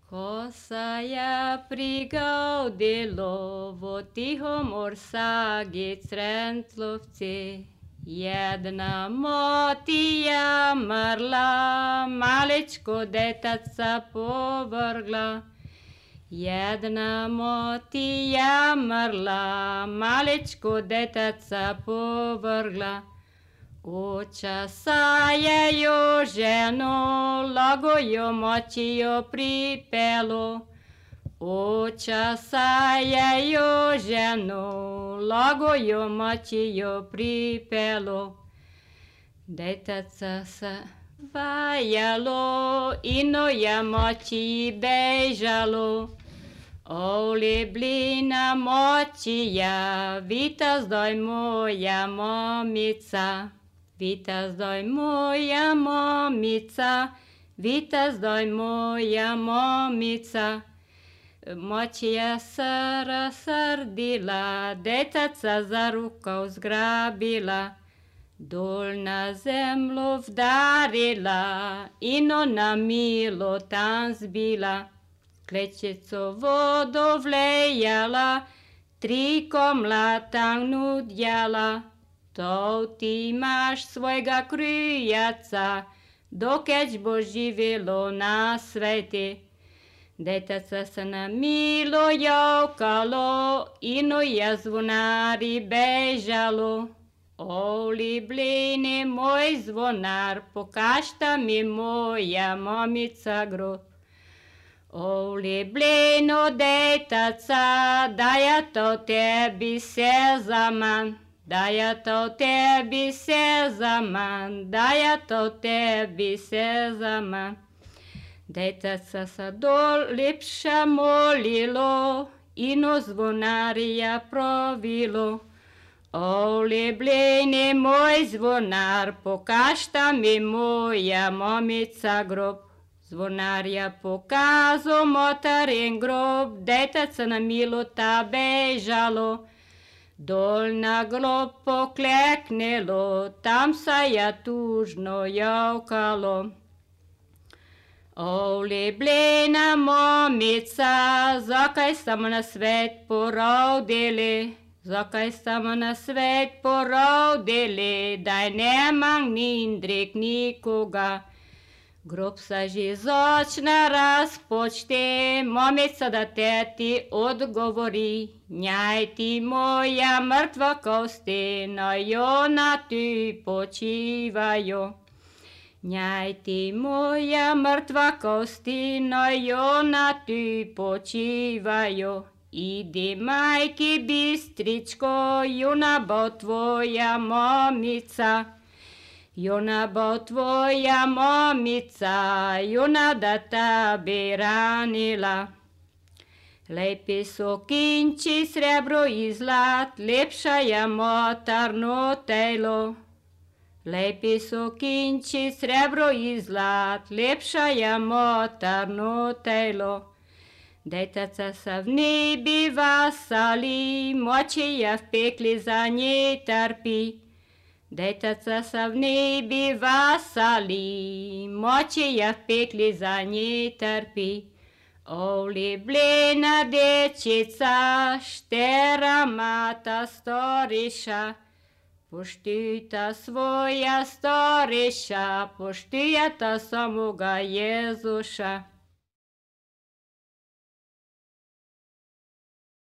Kosaja prigaudilo v tihom orsagi Crentlovci. Jedna motija mrla, malečko detaca povrgla. Jedna motija mrla, malečko detaca povrgla. Učasajejo ženo, lagojo močijo pripelo. Učasajejo ženo, lagojo močijo pripelo. Detaca se vajalo, inoja moči bežalo. Ole blina močija, vita zdaj moja mamica. Vita zdaj moja mamica, vita zdaj moja mamica. Močija se razsrdila, detaca za rukav zgrabila. Dol na zemljo vdarila in ona milo tam zbila. Klečico vodo vlejala, 3 komla tam nudjala. To ti imaš svojega krijaca, dokeč bo živelo na sveti. Detaca se na milo javkalo, inoja zvonari bežalo. Oli blini moj zvonar, pokažta mi moja mamica grob. Oli blino detaca, daja to tebi sezaman. Daja to tebi sezaman, daja to tebi sezaman. Detaca se dol lepša molilo, ino zvonarja provilo. Oli blini moj zvonar, pokažta mi moja mamica grob. Zvonarja pokazal motarin grob, detaca na milo ta bežalo. Dol na grob pokleknilo, tam se je tužno javkalo. Oli blina mamica, zakaj samo na svet porodili? Zakaj samo na svet porodili, daj nemam nindrik nikoga. Grob se že začne razpočti, mamica da teti odgovori. Njaj ti moja mrtva kosti, na jona ti počivajo. Njaj ti moja mrtva kosti, na jona ti počivajo. Idi majki bistričko, juna bo tvoja mamica. Juna bo tvoja mamica, juna da ta bi ranila. Lepi so kinči, srebro i zlat, lepša je motarno telo. Lepi so kinči, srebro i zlat, lepša je motarno telo. Detaca se v nebi vasali, močija v pekli za nje trpi. Detaca se v nebi vasali, močija v pekli za nje trpi. Oli blina dečica, štera mata storiša. Poštujta svoja storiša, poštujta samoga Jezuša.